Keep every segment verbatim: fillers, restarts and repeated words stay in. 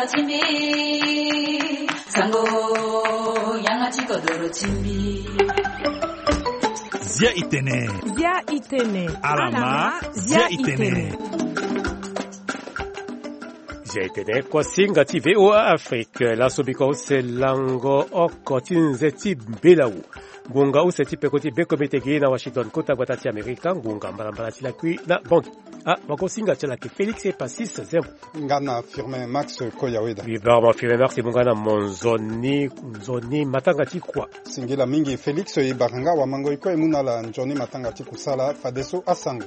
Timbi, sango, yanga ti kodoro timbi. Zia itene. Zia itene. Alama, zia itene. Zia itene, kuasinga ti V O A Afrique, laso biko use lango oko ti nze ti mbela wu. Ngonga use ti peko ti bekomite gi na Washington, kota gbata ti Amerika, ngonga mbalambala ti lakui na Bangui. Ah, wakosinga ti ala ke Félix Epasis Zembo. Nga na Firmin Max Koyaweda. Bibarama Firmin Max, e mu nga na mo nzoni, nzoni matanga ti kua. Singila mingi Félix, e bara nga wamango e kue e mu na ala nzoni matanga ti kusala, fadeso asango.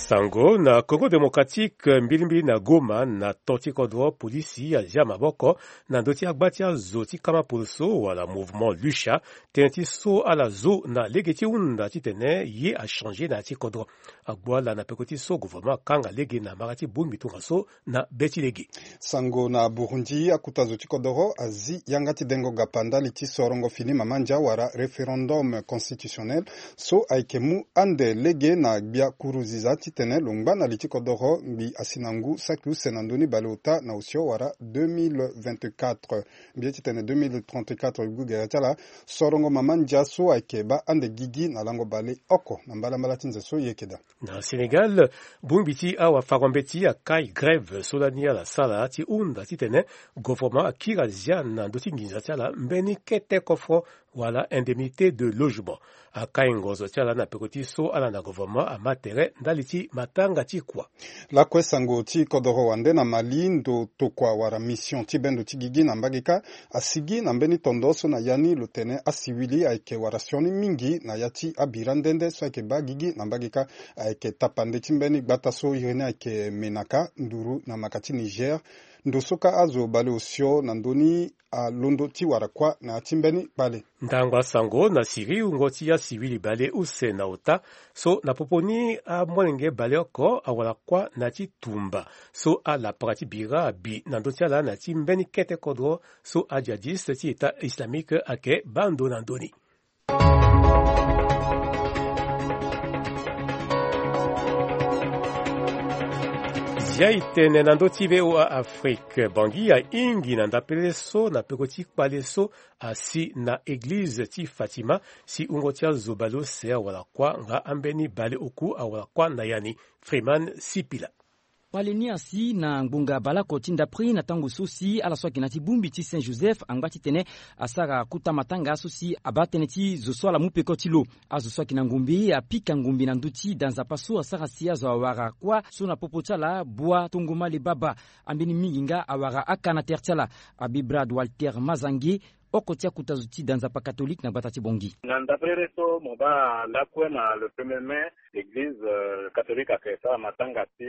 Sango na Congo Démocratique, mbilimbili na Goma, na to ti kodro, polisi azia maboko na ndö ti agba ti azo ti kama poloso wala mouvement Lucha, tënë ti so ala zo na lege ti hunda titene ye achangé na ya ti kodro. Agbu ala na peko ti so gouvernement akanga lege na mara ti bongbi tongaso na be ti lege. Sango na Burundi, akuta zo ti kodoro azi yanga ti dengo gapa ndali ti sorongo fini mamandia wala référendum constitutionnel, so ayeke mu ande lege na gbia kuruziza titene lo ngba na li ti kodoro ngbi asi na ngu saki use na ndö ni baleota na osio wala deux mille vingt-quatre. Mbi ye titene deux mille trente-quatre, e gue gere ti ala sorongo mamandia so ayeke baa ande gigi na lango baleoko na mbalambala ti nze so e yeke daa. Na Sénégal, bongbi ti awafango-mbeti akai grève so lani ala sara ti hunda titene gouvernement akiri azia na ndö ti nginza ti ala mbeni kete kofro wala indemnité de logement. Akai ngonzo ti ala na peko ti so ala na gouvernement ama tere ndali ti matanga ti kua. Lakue sango ti kodoro wande na Mali, ndo tokua wala mission ti bendo ti gigi na mbage kâ asigi na mbeni tondo so na ya ni lo tene asiwili ayeke wara sioni mingi na ya ti abira nde nde so ayeke baa gigi na mbage kâ. Ayeke tapande ti mbeni gbata so iri ni ayeke Menaka, nduru na maka ti Niger. Ndo so kâ azo baleosio na ndö ni alondo ti wara kuâ na ya ti mbeni kpale. Ndango asango na Syrie, wungo ti asiwili baleuse na ota so na popo ni amolenge baleoko awara kuâ na ya ti tumba so alapara ti bira abi na ndö ti ala na ya ti mbeni kete kodro so ajihadiste ti État islamique ayeke baa ndo na ndö ni. Zia e tene na ndö ti V O A Afrique, Bangui ahingi na ndapele so na peko ti kpale so asi na eglize ti Fatima, si wungo ti azo baleuse awara kuâ nga ambeni baleoku awara kuâ na ya ni. Freeman Sipila. Kpale ni asi na ngbonga baleoko ti ndapre na tango so si ala so ayeke na ya ti bongbi ti Saint Joseph angba titene asara kota matanga so si abaa tënë ti zo so ala mu peko ti lo. Azo so ayeke na ngombe apika ngombe na ndö ti da nzapa so asara si azo awara kuâ so na popo ti ala Bua Tongomale Baba. Ambeni mingi nga awara aka na tere ti ala. Abbé Brad Walter Mazange, oko ti akuta zo ti da nzapa catholique na gbata ti Bangui. Na ndapere so mo baa lakue na le premier mai, l'église, euh, catholique ayeke sara matanga ti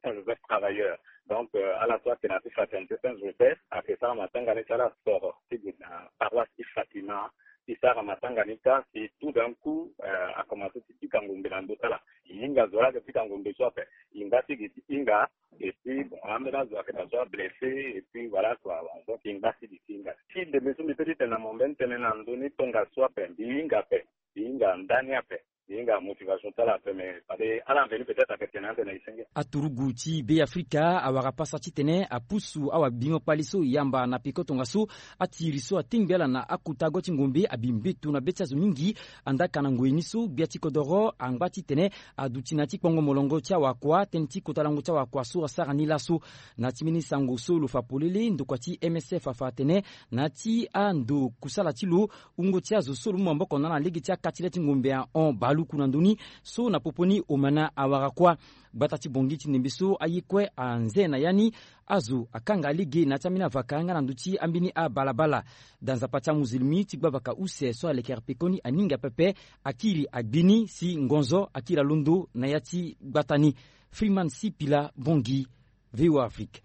Saint Joseph Travailleur. Donc, euh, ala so ayeke na ya ti fraternité Saint Joseph ayeke sara matanga ni ti ala soro ti gue na paroisse ti Fatima ti sara matanga ni kâ. Si tout d'un coup, euh, akomanse ti pika ngombe na ndö ti ala. E hinga zo laa ayeke pika ngombe so ape. E ngba ti gi ti hinga. Et puis, bon, ambeni azo ayeke na zo ablessé, et puis voilà quoi. Donc e ngba ti gi ti hinga. Si ndembe so mbi peut ti tene na mo mbeni tënë na ndö ni, tongaso ape mbi hinga ape. Mbi hinga ndani ape. Mbi hinga motivation ti ala ape, mais fade ala mveni peut-être ayeke tene ande na e senge. Aturugu ti Be Afrika awara pasa titene apusu awabingo kpale so yamba na peko tongaso. Atiri so atengbi ala na akota go ti ngombe abi mbeto na be ti azo mingi. Andaka na ngoi ni so gbia ti kodoro angba titene aduti na ya ti kpongo molongo ti awakua, tënë ti kota lango ti awakua so asara ni laso. Na ya ti mbeni sango so lo fa polele, ndokua ti M S F afa atene na ya ti ando kusala ti lo, wungo ti azo so lo mu maboko na ala na lege ti akati le ti ngombe ahon baluku na ndö ni so na popo ni omana awara kuâ. Gbata ti Bangui ti ndembe so aye kue anze na ya ni. Azo akanga lege na ya ti ambeni avaka nga na ndö ti ambeni abalabala. Da nzapa ti amuzilimi ti gbavaka use so alekere pekoni aninga pepe akiri agbi ni si ngonzo akiri alondo na ya ti gbata ni. Freeman Sipila, Bangui, V O A Afrique.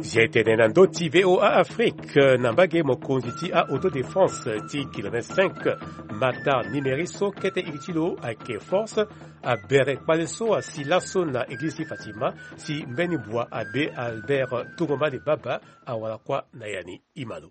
Zia e tene na ndö ti V O A Afrique, na mbage mokonzi ti a-autodéfense ti kilomètre cinq, Matar Nimeri so kete iri ti lo ayeke force, abere kpale so asi laso na eglize ti Fatima, si mbeni bua abbé Albert Tongomale Baba awara kuâ na ya ni. Ima lo.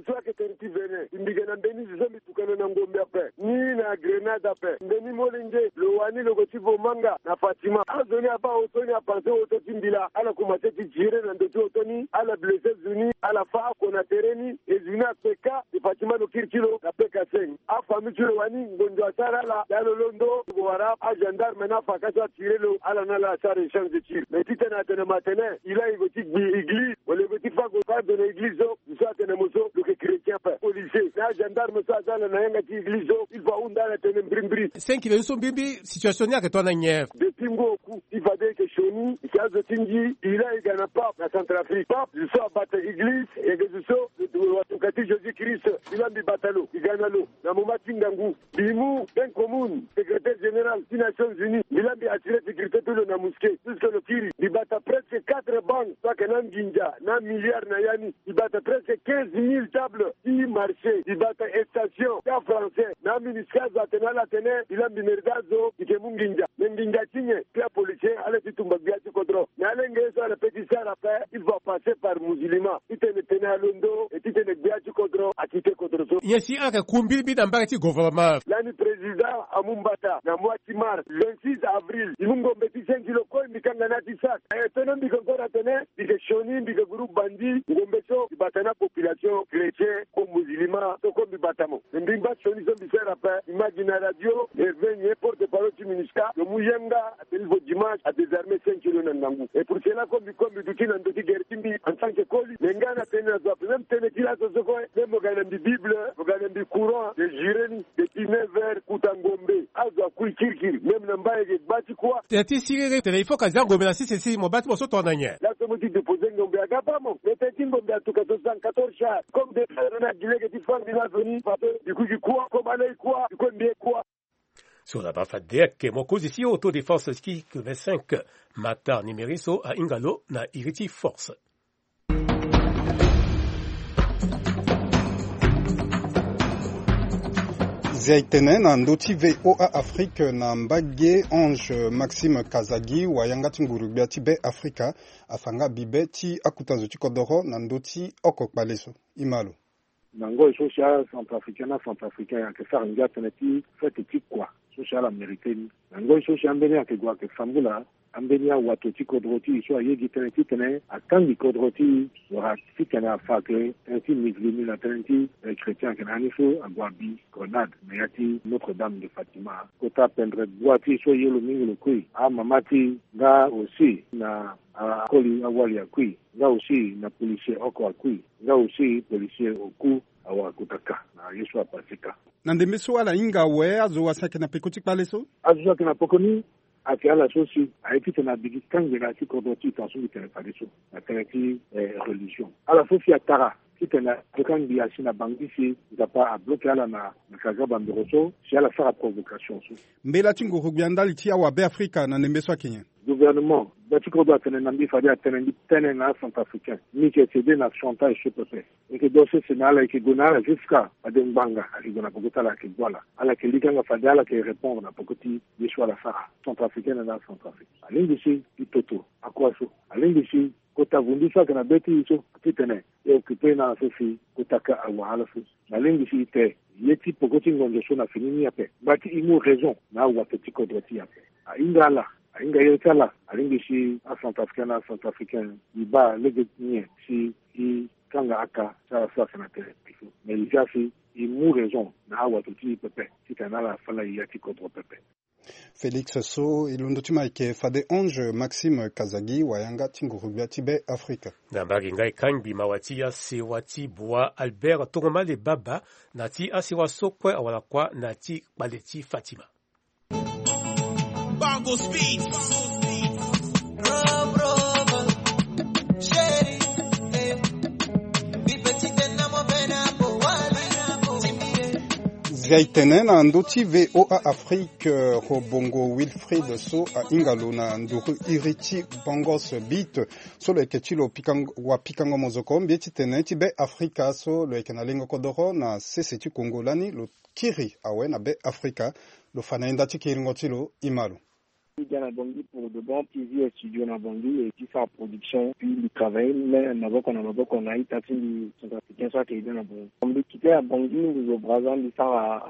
So ayeke tene ti vene, mbi yeke na mbeni zo so mbi tukana na ngombe ape ni na Grenade ape. Mbeni molenge lo wani lo yeke ti vo manga na Fatima. Azo ni abaa oto ni apanse oto ti mbila, ala komanse ti tire na ndo ti oto ni, ala blesse zo ni, ala fâ oko na tere ni. E zo ni akpeka, e Fatima lo kiri ti lo na peka seng. Afamille ti lo wani ngonzo asara ala, ya lo londo, lo wara agendarme na afaka so atire lo, ala na ala asara échange de tir. Mais titene atene ma tene, il a, e go ti gbi église, wala e go ti fâ go fâ ndo na église so, zo so atene mo so lo yeke chrétien ape. Policier na agendarme so aza ala na yanga ti église so, il faut ahunda ala tene mbirimbiri. Seng kilo ni so mbirimbiri, situation ni ayeke tongana nyen? Depuis ngu oku, il fade e yeke sioni, e yeke azo ti ngi, il a, e ga na pape na Centrafrique. Pape, zo so abata église, e yeke zo so, watuka ti Jésus Christ, il a mbi bata lo, e ga na lo. Na moment ti ngangu, mbi mu bien commun, secrétaire général ti Nations Unies, mbi la mbi assurer sécurité ti lo na mosquée, puisque lo kiri. Mbi bata presque quatre banques, so ayeke na nginza, na milliard na ya ni. Mbi bata presque quinze mille tables ti marché. Mbi bata station ti afrançais. Na aministre azo atene ala atene, mbi la mbi mérite azo, mbi yeke mu nginza. Mais nginza ti nyen? Ti apoliticien, ala ti tumba gbia ti kodro. Mais alenge ye so ala pe ti sara ape, il faut apasser par musulman. Titene tene alondo, et titene gbia ti kodro akite kodro so. Nyen si ala yeke ku mbirimbiri na mbage ti gouvernement? Lani président amu mbata na mois ti mars, vingt-six avril. E mu ngombe ti cinq kilo kue, mbi kanga na ya ti sac. E tono mbi yeke encore atene, mbi yeke sioni, mbi yeke groupe bandit. Ngombe so, mbi bata na population chrétien, comme musulman, so kue mbi bata mo. Mais mbi ngba sioni so mbi sara ape, mbi ma gi na radio, Hervé Nyen, porte-parole ti MINUSCA, lo mu yanga, atene il faut dimanche, adésarmer cinq kilo na ngangu. Et pour cela, comme mbi, comme mbi duti na ndo ti guerre ti mbi, en tant que koli, mais nga na tene na zo ape, même tene ti laso so kue, même mo ga na mbi Bible, mo ga na mbi Coran, mbi jure ni, depuis neuf heures, kuta ngombe, azo akui kirikiri, même na mbai e yeke gba ti kuâ. Tene ti siriri, tene il faut ka zia ngombe na sese si mo baa ti mo so tongana nyen? Laso mo ti déposer ngombe aga baa mo, mais tene ti ngombe atuka soixante-quatorze chars, comme de na gi lege ti fâ mbi laso ni, parce que mbi kui gi kuâ, comme ala ye kuâ, mbi kue mbi ye kuâ. So laba fade ayeke mokonzi ti Autodéfense ti K vingt-cinq, Matar Nimeri so ahinga lo na iri ti force. Zia e tene na ndö ti V O A Afrique na mbage Ange Maxime Kazadi, wayanga ti nguru-gbia ti Be Afrika, afa nga bibe ti akuta zo ti kodoro na ndö ti oko kpale so. E ma lo. Na ngoi so si aCentrafricain na Centrafricain ayeke sara ngia tënë ti fête ti kua so si ala mérité ni. Na ngoi so si ambeni ayeke gue ayeke sambula ambeni awato ti kodro ti e so aye gi tënë titene atangi kodro ti e wala titene afa ayeke tënë ti musulmi na tënë ti, eh, chrétien ayeke na ya ni so ague abi grenade na ya ti Notre-Dame de Fatima. Kota pendere bua ti e so aye lo mingi lo kui, amama ti e nga aussi na akoli awali akui, nga aussi na policier oko akui, nga aussi policier oku awara kota ka na ye so apase ka. Na ndembe so ala hinga awe azo wa si ayeke na peko ti kpale so? Azo so ayeke na peko ni ayeke ala so si aye titene abi gi kangela ti kodro ti e tongaso mbi tene fadeso na tënë ti, eh, religion. Ala so si atara titene adoka ngbii asi na bangbi si Nzapa abloke ala na, na kaga bambiro so si ala sara provocation so. Mbela ti nguru-gbia ndali ti awa Be Afrika na ndembe so ayeke nyen? Gouvernement, gba ti kodro atene na mbi fade atene mbi tene na aCentrafricain, mbi yeke céder na chantage so pepe. E yeke do sese na ala, e yeke gue na ala jusqu'à fade ngbanga ayeke gue na peko ti ala ayeke gbu ala. Ala yeke linganga fade ala yeke répondre na peko ti ye so ala sara. Centrafricain na aCentrafrique alingbi si e toto akua so, alingbi si kota vundu so ayeke na be ti e so titene e occupé na ala so si kota ka awara ala so. Na lingbi si e te ye ti peko ti ngonzo so na fini ni ape. Ngba ti e mu raison na awato ti kodro ti e ape. Ahinga ala, ahinga iri ti ala, alingbi si aCentrafricain na aCentrafricain e baa lege ti nyen si e kanga aka ti ala so ayeke na tere ti e so. Me e zia si e mu raison na awato ti e pepe titene ala fa na e ya ti kodro pepe. Félix so e londo ti ma ayeke fade Ange Maxime Kazadi, wayanga ti nguru-gbia ti Be Afrika. Na mbage nga e kangbi mawa ti asewa ti Bua Albert Tongomale Baba na ti asewa so kue awara kuâ na ti kpale ti Fatima. Bongo Speed. Zia e tene na ndö ti V O A Afrique, eh, Robongo Wilfried so ahinga lo na nduru iri ti Bongos Beat so lo yeke ti lo pikango, wapikango mozoko mbi ye ti tene ti Be Afrika so lo yeke na lengo kodoro na sese ti Congo lani lo kiri awe na Be Afrika, lo fa na e nda ti kiringo ti lo. E ma lo. Mbi ga na Bangui pour de bon, ti zi studio na Bangui et ti sara production, puis mbi travailler même maboko na maboko na ita ti mbi centrafricain so ayeke ede na Bangui. Mbi kite na Bangui, mbi zo Brazza, mbi sara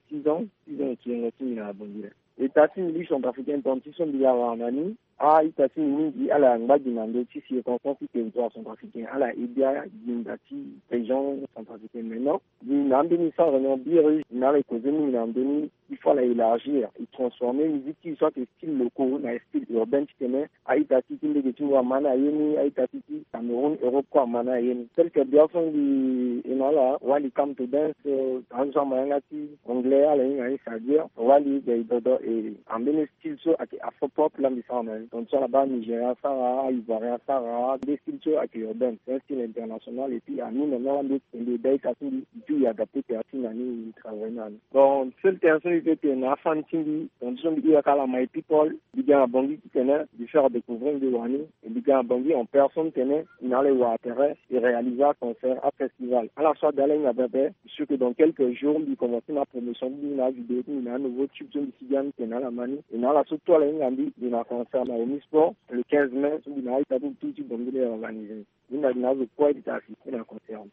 six ans, six ans ti yengo ti mbi na Bangui la. Ita ti mbi centrafricain, tonga ti so mbi yara na ni, a-ita ti mbi mingi ala ngba gi na ndö ti circonstance ti territoire centrafricain, ala ede gi nda ti région centrafricaine. Maintenant, mbi na ambeni sans réunion biri, mbi na ala e causer mingi na ndö ni, il faut ala élargir, e transformer musique ti e so ayeke style locaux na style urbain titene a-ita ti ti mbege ti mbi ama ni aye ni, a-ita ti ti Cameroun, Europe kue ama ni aye ni. Tel que bia so mbi e na ala, wali come to dance, euh, azo so ama yanga ti anglais ala hinga ni, c'est-à-dire wali gay dodo, e ambeni style so ayeke afro pop la mbi sara na ni. Donc so ala baa Nigérien asara, a-Ivoirien asara, nde style so ayeke urbain, c'est un style international. Et puis ami na ni ala mbi e tene mbi e daa ita ti mbi, e puis e adapter tere ti mbi na ni, e travailler na ni. Bon, seul tere so mbi peut tene na afani ti mbi, donc so mbi hira kâ ala my people, mbi ga na Bangui titene mbi faire découvrir mbi wani, et mbi ga na Bangui en personne titene mbi na ala e wara tere, e réaliser aconcert, afestival. Ala so ade ala hinga pepe, je suis sûr que dans quelques jours mbi commencer na promotion ti mbi na avidéo ti mbi na anouveau tube so mbi si ga ni tene ala ma ni. Et na ala so tout ala hinga mbi, mbi na concert na Omi Sport le quinze mai so mbi na a-ita ti mbi tout ti Bangui ni e organiser. Mbi na mbi na azo kue ti ta asi mbi na concert.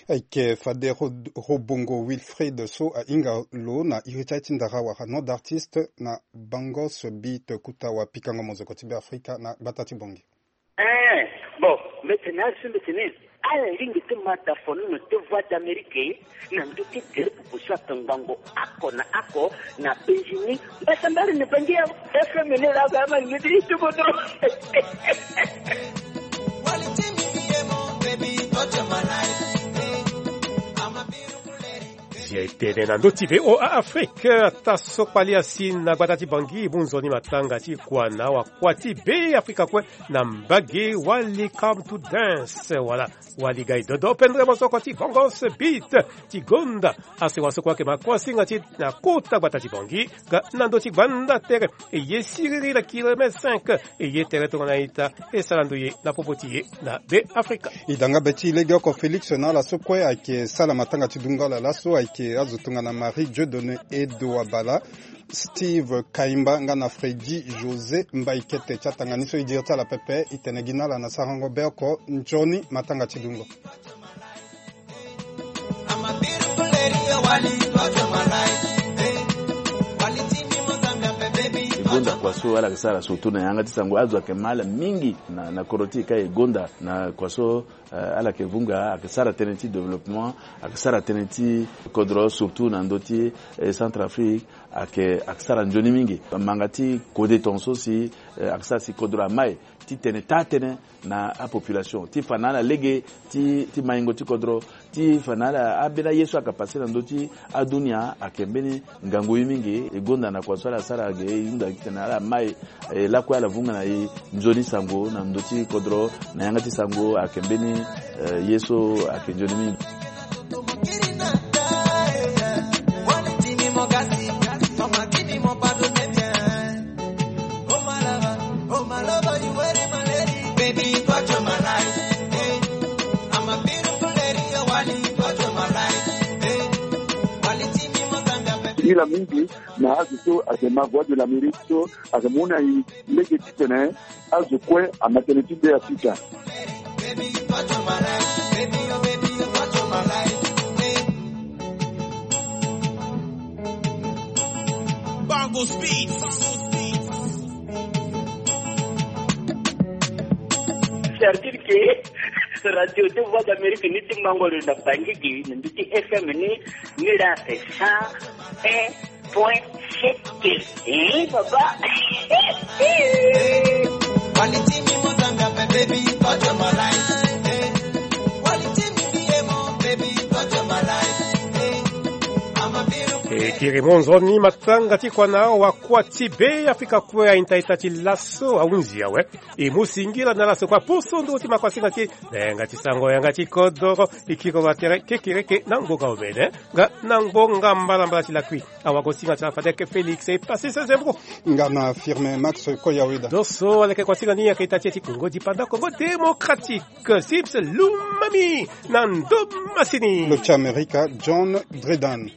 Ayeke fade Ro-, Robongo Wilfried so ahinga lo na iri ti aye ti ndara wala nom d'artiste na Bangos Beat. Kuta wapikango mozoko ti Beafrika na gbata ti Bangui. Eh, bon, mbi tene azo so mbi tene ala lingbi ti ma dafono na ndö ti Voix d'Amérique, na ndö ti gere popo so atongbango oko na oko na Benjini. Mbasambala na Bangui awe. F M ni la ga ma ni ti tubo dro. Zia e tene na ndö ti V O A Afrique, ata so kpali asi na gbata ti Bangui, mu nzoni matanga ti kua na wakua ti Beafrika kue na mbage. Wali come to dance, wala wali gai dodo pendre mosoko ti Bongos Beat ti gonda asewa so kue ayeke ma kuasinga ti e na kota gbata ti Bangui. Nga na ndö ti gbanda tere, e ye siriri na kilomètre cinq, e ye tere tongana ita, e sara ndoye na popo ti e na Beafrika. E da nga be ti e legeoko Félix na ala so kue ayeke sara matanga ti dungo ala laso, ayeke azo tongana Marie Dieudonné Edo Abala, Steve Kaimba nga na Freddy José Mbaikete. Ti atanga ni so e diri ti ala pepe, e tene gi na ala na sarango be oko nzoni matanga ti dungo. E gonda kua so ala yeke sara surtout na yanga ti sango. Azo ayeke ma ala mingi na, na kodro ti e ka e gonda na kua so, eh, ala yeke vunga, ayeke sara tënë ti développement, ayeke sara tënë ti kodro surtout na ndö ti, eh, Centrafrique, ayeke, ayeke sara nzoni mingi. Manga ti kode tongaso si, eh, ayeke sara si kodro amai ti tene taa tënë na apopulation, ti fa na ala lege ti, ti maingo ti kodro, ti fa na ala ambeni aye so ayeke passe na ndö ti adunia ayeke mbeni ngangu ye mingi. E gonda na kua so ala sara ge, e hunda titene ala mai, e lakue ala vunga na e nzoni sango na ndö ti kodro, na yanga ti sango ayeke mbeni, eh, ye so ayeke nzoni mingi. Ila mingi na azo so ayeke ma Voix de l'Amérique so ayeke mu na e lege titene azo kue ama tënë ti Beafrika. Bango Speed. C'est-à-dire que radio de Voix d'Amérique ni ti mango lo na Bangui gi, na ndö ti F M ni, ni la c'est cent un point sept. Eh, papa. E kiri mo nzoni matanga ti kua na wakua ti Beafrika kue. Ainta ita ti laso ahunzi awe. E mu singila na laso kua poso nduru ti makuasinga ti e na yanga ti sango, yanga ti kodoro. E kiri wa tere kekereke na ngonga omene nga na ngonga mbalambala ti lakui. Awagosinga ti ala fade ayeke Félix e Passis Zembo. Nga na Firmin Max Koyaweda. Doso aleke kuasinga ni ayeke ita ti e ti Kongo Dipanda, Congo Démocratique, Sips Lumami na ndo masini. Lo ti Amerika, John Dredan.